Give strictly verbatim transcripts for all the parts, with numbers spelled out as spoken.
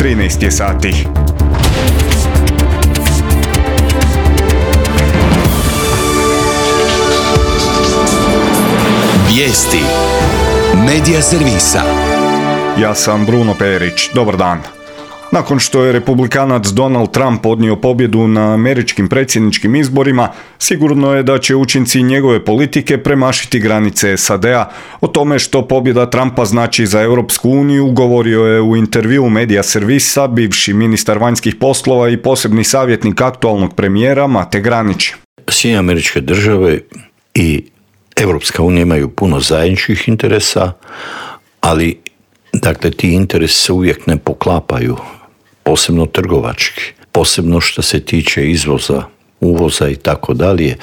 trinaest je sati. Vijesti Medija servisa. Ja sam Bruno Perić. Dobar dan. Nakon što je republikanac Donald Trump odnio pobjedu na američkim predsjedničkim izborima, sigurno je da će učinci njegove politike premašiti granice S A D-a. O tome što pobjeda Trumpa znači za Europsku uniju govorio je u intervjuu Medija servisa bivši ministar vanjskih poslova i posebni savjetnik aktualnog premijera Mate Granić. Sjedinjene Američke Države i Europska unija imaju puno zajedničkih interesa, ali dakle ti interesi se uvijek ne poklapaju, posebno trgovački, posebno što se tiče izvoza, uvoza i tako dalje,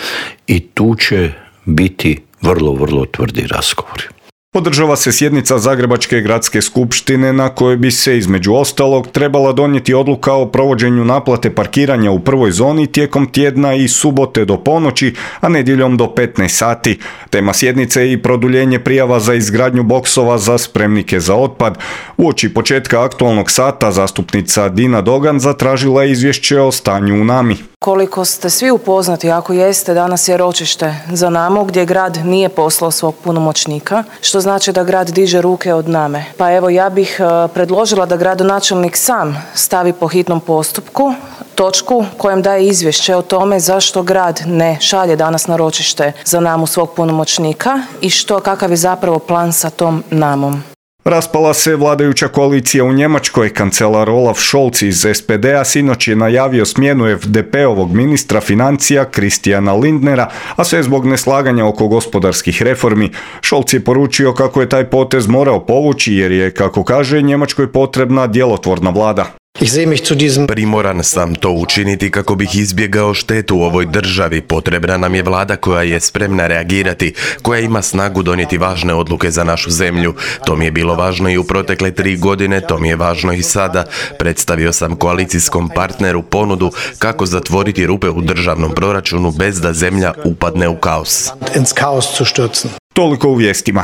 i tu će biti vrlo, vrlo tvrdi razgovori. Održava se sjednica Zagrebačke gradske skupštine na kojoj bi se između ostalog trebala donijeti odluka o provođenju naplate parkiranja u prvoj zoni tijekom tjedna i subote do ponoći, a nedjeljom do petnaest sati. Tema sjednice je i produljenje prijava za izgradnju boksova za spremnike za otpad. Uoči početka aktualnog sata zastupnica Dina Dogan zatražila je izvješće o stanju u Nami. Koliko ste svi upoznati, ako jeste, danas je ročište za Namu gdje grad nije poslao svog punomoćnika, što znači da grad diže ruke od Name. Pa evo, ja bih predložila da gradonačelnik sam stavi po hitnom postupku točku kojem daje izvješće o tome zašto grad ne šalje danas na ročište za Namu svog punomoćnika i što, kakav je zapravo plan sa tom Namom. Raspala se vladajuća koalicija u Njemačkoj. Kancelar Olaf Scholz iz S P D-a sinoć je najavio smjenu F D P-ovog ministra financija Christiana Lindnera, a sve zbog neslaganja oko gospodarskih reformi. Scholz je poručio kako je taj potez morao povući jer je, kako kaže, Njemačkoj potrebna djelotvorna vlada. Primoran sam to učiniti kako bih izbjegao štetu u ovoj državi. Potrebna nam je vlada koja je spremna reagirati, koja ima snagu donijeti važne odluke za našu zemlju. To mi je bilo važno i u protekle tri godine, to mi je važno i sada. Predstavio sam koalicijskom partneru ponudu kako zatvoriti rupe u državnom proračunu bez da zemlja upadne u kaos. Toliko u vijestima.